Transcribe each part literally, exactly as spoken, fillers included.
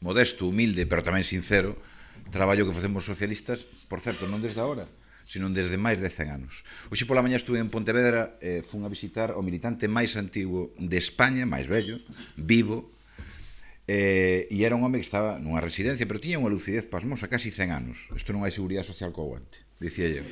modesto, humilde, pero tamén sincero, traballo que facemos socialistas, por certo, non desde agora, sino desde máis de cen anos. Hoxe pola mañá estuve en Pontevedra, eh, fun a visitar o militante máis antigo de España, máis vello, vivo, eh, e era un home que estaba nunha residencia, pero tiña unha lucidez pasmosa, casi cen anos. Isto non hai seguridade social co aguante, dicía eu.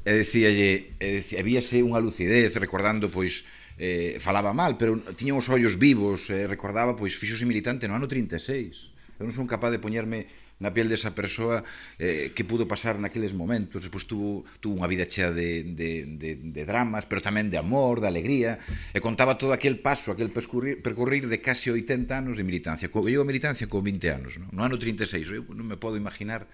E dicíalle, e dicía, víase unha lucidez recordando, pois, eh, falaba mal, pero tiña os ollos vivos, eh, recordaba, pois, fixose militante no ano trinta e seis. Eu non son capaz de poñerme na piel desa persoa eh, que pudo pasar naqueles momentos. Depois tuvo, tuvo unha vida chea de, de, de, de dramas, pero tamén de amor, de alegría, e contaba todo aquel paso, aquel percurrir, percorrir de casi oitenta anos de militancia. Eu a militancia con vinte anos, no, no ano trinta e seis, eu non me podo imaginar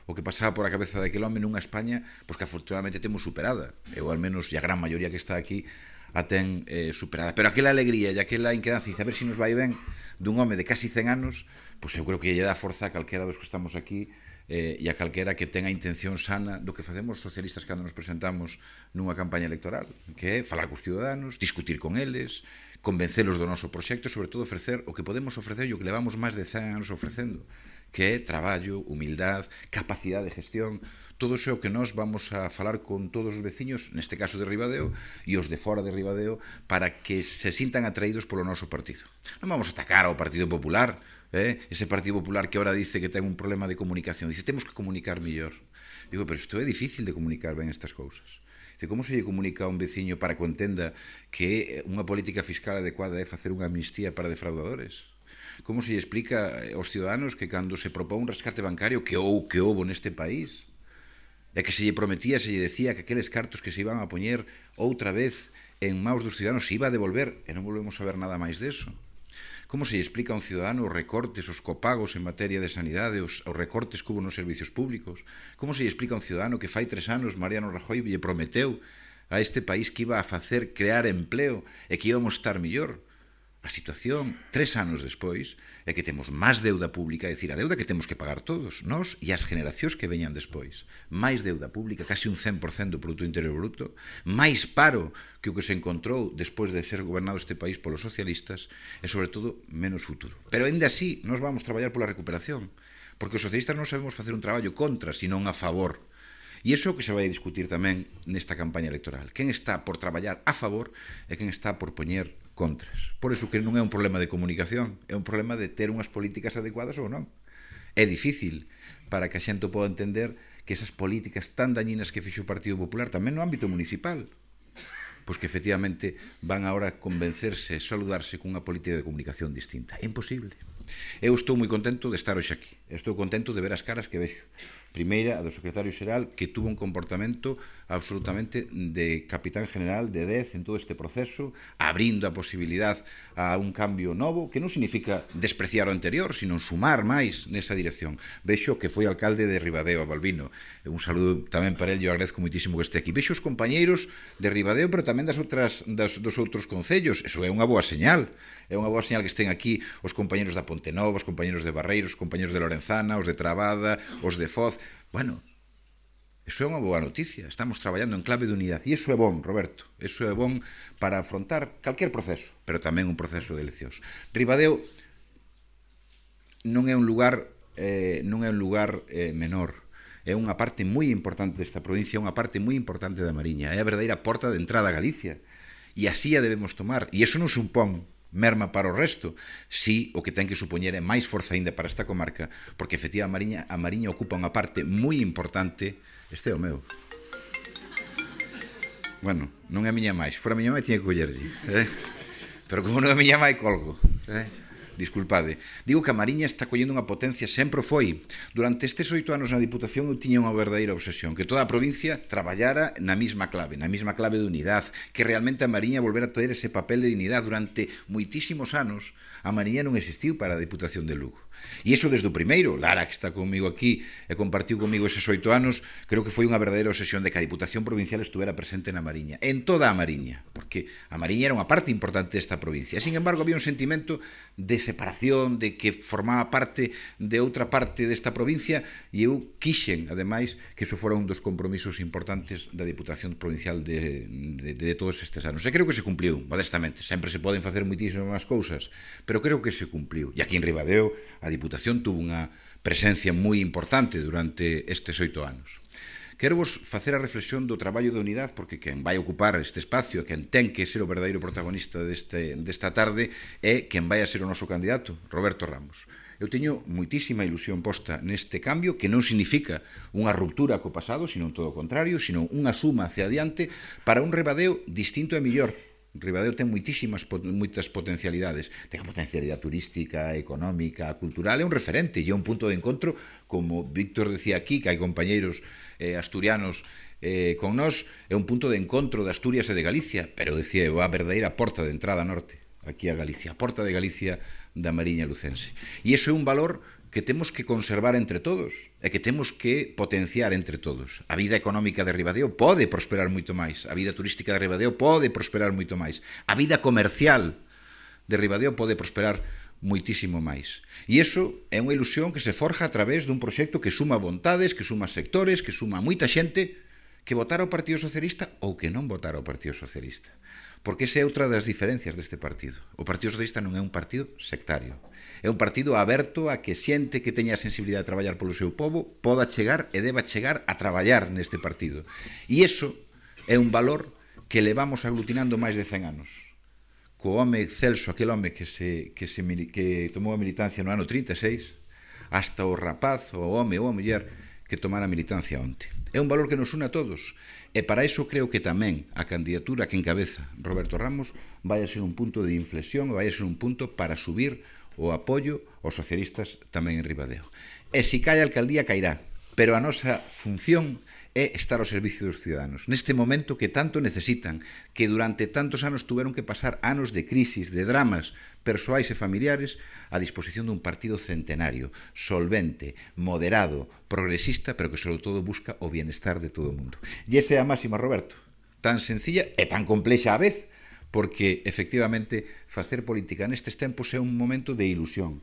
o que pasaba por a cabeza daquele home nunha España pois que afortunadamente temos superada. Eu, al menos, e a gran maioría que está aquí, a ten eh, superada. Pero aquela alegría e aquela inquedanza, dice, a ver se si nos vai ben, dun home de casi cen anos, pois eu creo que lle dá forza a calquera dos que estamos aquí eh, e a calquera que tenga intención sana do que facemos socialistas cando nos presentamos nunha campaña electoral, que é falar cos ciudadanos, discutir con eles, convencelos do noso proxecto e, sobre todo, ofrecer o que podemos ofrecer e o que levamos máis de cen anos ofrecendo, que é traballo, humildad, capacidade de gestión. Todo iso é o que nós vamos a falar con todos os veciños, neste caso de Ribadeo, e os de fora de Ribadeo, para que se sintan atraídos polo noso partido. Non vamos a atacar ao Partido Popular, eh? ese Partido Popular que ahora dice que ten un problema de comunicación. Dice, temos que comunicar mellor. Digo, pero isto é difícil de comunicar ben estas cousas. Dice, como se lle comunica a un veciño para que entenda que unha política fiscal adecuada é facer unha amnistía para defraudadores? Como se lle explica aos ciudadanos que cando se propón un rescate bancario que ou que houbo neste país e que se lle prometía, se lle decía que aqueles cartos que se iban a poñer outra vez en maus dos ciudadanos se iba a devolver e non volvemos a ver nada máis deso? Como se lle explica a un ciudadano os recortes, os copagos en materia de sanidade, os, os recortes que hubo nos servicios públicos? Como se lle explica a un ciudadano que fai tres anos Mariano Rajoy lle prometeu a este país que iba a facer crear empleo e que íbamos estar mellor? A situación, tres anos despois, é que temos máis deuda pública, é dicir, a deuda que temos que pagar todos, nós e as generacións que veñan despois. Máis deuda pública, casi un cen por cento do Produto Interior Bruto, máis paro que o que se encontrou despois de ser gobernado este país polos socialistas e, sobre todo, menos futuro. Pero, ainda así, nós vamos traballar pola recuperación, porque os socialistas non sabemos facer un traballo contra, senón a favor. E iso que se vai discutir tamén nesta campaña electoral. Quen está por traballar a favor e quen está por poñer contras. Por iso que non é un problema de comunicación, é un problema de ter unhas políticas adecuadas ou non. É difícil para que a xente poda entender que esas políticas tan dañinas que fixo o Partido Popular tamén no ámbito municipal, pois que efectivamente van agora convencerse, saludarse cunha política de comunicación distinta. É imposible. Eu estou moi contento de estar hoxe aquí. Estou contento de ver as caras que vexo. Primeira, a do secretario xeral, que tuvo un comportamento absolutamente de capitán general de dez en todo este proceso, abrindo a posibilidad a un cambio novo, que non significa despreciar o anterior, sino sumar máis nesa dirección. Vexo que foi alcalde de Ribadeo, a Balbino. Un saludo tamén para el, eu agradezco muitísimo que este aquí. Vexo os compañeiros de Ribadeo, pero tamén das outras, das, dos outros concellos. Eso é unha boa señal. É unha boa señal que estén aquí os compañeros da Pontenova, os compañeros de Barreiros, os compañeros de Lorenzana, os de Trabada, os de Foz. Bueno, iso é unha boa noticia. Estamos traballando en clave de unidade. E iso é bon, Roberto. Iso é bon para afrontar calquer proceso, pero tamén un proceso de eleccións. Ribadeo non é un lugar eh, non é un lugar eh, menor. É unha parte moi importante desta provincia, unha parte moi importante da Mariña. É a verdadeira porta de entrada a Galicia. E así a debemos tomar. E iso non supón merma para o resto, si o que ten que supoñer é máis forza ainda para esta comarca, porque efectivamente a Mariña, a Mariña ocupa unha parte moi importante. Este é o meu. Bueno, non é a miña máis, fora a miña máis tiña que collerlle, eh? Pero como non é a miña máis, colgo, eh? Disculpade. Digo que a Mariña está collendo unha potencia, sempre foi. Durante estes oito anos na Diputación eu tiña unha verdadeira obsesión, que toda a provincia traballara na mesma clave, na mesma clave de unidade, que realmente a Mariña volvera a ter ese papel de dignidade. Durante moitísimos anos a Mariña non existiu para a Diputación de Lugo. E iso desde o primeiro, Lara, que está comigo aquí e compartiu comigo eses oito anos, creo que foi unha verdadeira obsesión de que a Diputación Provincial estuvera presente na Mariña, en toda a Mariña, porque a Mariña era unha parte importante desta provincia. Sin embargo, había un sentimento de separación, de que formaba parte de outra parte desta provincia, e eu quixen, ademais, que iso fora un dos compromisos importantes da Diputación Provincial de, de, de todos estes anos. E creo que se cumpliu, modestamente. Sempre se poden facer moitísimas cousas, pero creo que se cumpliu. E aquí en Ribadeo a Diputación tuvo unha presencia moi importante durante estes oito anos. Quero vos facer a reflexión do traballo de unidade, porque quen vai ocupar este espacio, quen ten que ser o verdadeiro protagonista deste, desta tarde, é quen vai a ser o noso candidato, Roberto Ramos. Eu teño moitísima ilusión posta neste cambio, que non significa unha ruptura co pasado, sino todo o contrario, sino unha suma hacia adiante para un Ribadeo distinto e mellor. Ribadeo ten moitísimas, moitas potencialidades. Ten a potencialidade turística, económica, cultural, é un referente e é un punto de encontro, como Víctor decía aquí, que hai compañeiros eh, asturianos eh, con nós, é un punto de encontro de Asturias e de Galicia, pero decía eu, a verdadeira porta de entrada norte, aquí a Galicia, a porta de Galicia da Mariña Lucense. E iso é un valor que temos que conservar entre todos e que temos que potenciar entre todos. A vida económica de Ribadeo pode prosperar moito máis, a vida turística de Ribadeo pode prosperar moito máis, a vida comercial de Ribadeo pode prosperar moitísimo máis. E iso é unha ilusión que se forja a través dun proxecto que suma vontades, que suma sectores, que suma moita xente que votara o Partido Socialista ou que non votara o Partido Socialista. Porque esa é outra das diferencias deste partido. O Partido Socialista non é un partido sectario. É un partido aberto a que xente que teña a sensibilidade de traballar polo seu povo poda chegar e deba chegar a traballar neste partido. E iso é un valor que levamos aglutinando máis de cen anos. Co home Celso, aquel home que, se, que, se, que tomou a militancia no ano trinta e seis, hasta o rapaz, o home ou a muller que tomara a militancia onte. É un valor que nos une a todos. E para iso creo que tamén a candidatura que encabeza Roberto Ramos vai a ser un punto de inflexión, vai a ser un punto para subir o apoio aos socialistas tamén en Ribadeo. E se cae a alcaldía, cairá. Pero a nosa función é estar ao servicio dos ciudadanos. Neste momento que tanto necesitan, que durante tantos anos tuveron que pasar anos de crisis, de dramas persoais e familiares, a disposición dun partido centenario, solvente, moderado, progresista, pero que sobre todo busca o bienestar de todo o mundo. E esa é a máxima, Roberto, tan sencilla e tan complexa á vez, porque, efectivamente, facer política nestes tempos é un momento de ilusión.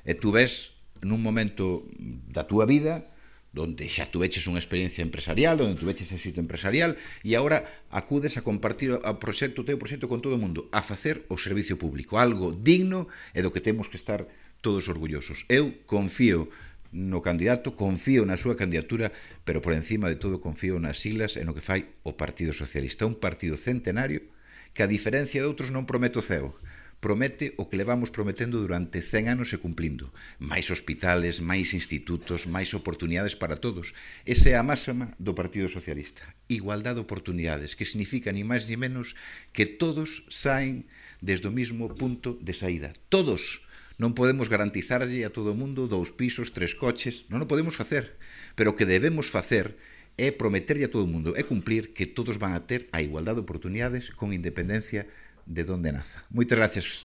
E tú ves nun momento da túa vida donde xa tuveches unha experiencia empresarial, onde tuveches éxito empresarial, e agora acudes a compartir o proxecto, o teu proxecto con todo o mundo, a facer o servicio público, algo digno e do que temos que estar todos orgullosos. Eu confío no candidato, confío na súa candidatura, pero por encima de todo confío nas siglas e no que fai o Partido Socialista. Un partido centenario que, a diferencia de outros, non promete o ceo. Promete o que levamos prometendo durante cen anos e cumplindo. Máis hospitales, máis institutos, máis oportunidades para todos. Esa é a máxima do Partido Socialista. Igualdade de oportunidades, que significa ni máis ni menos que todos saen desde o mismo punto de saída. Todos. Non podemos garantizarlle a todo o mundo dous pisos, tres coches. Non o podemos facer. Pero o que debemos facer é prometerlle a todo o mundo, é cumplir que todos van a ter a igualdade de oportunidades con independencia de donde naza. Moitas gracias.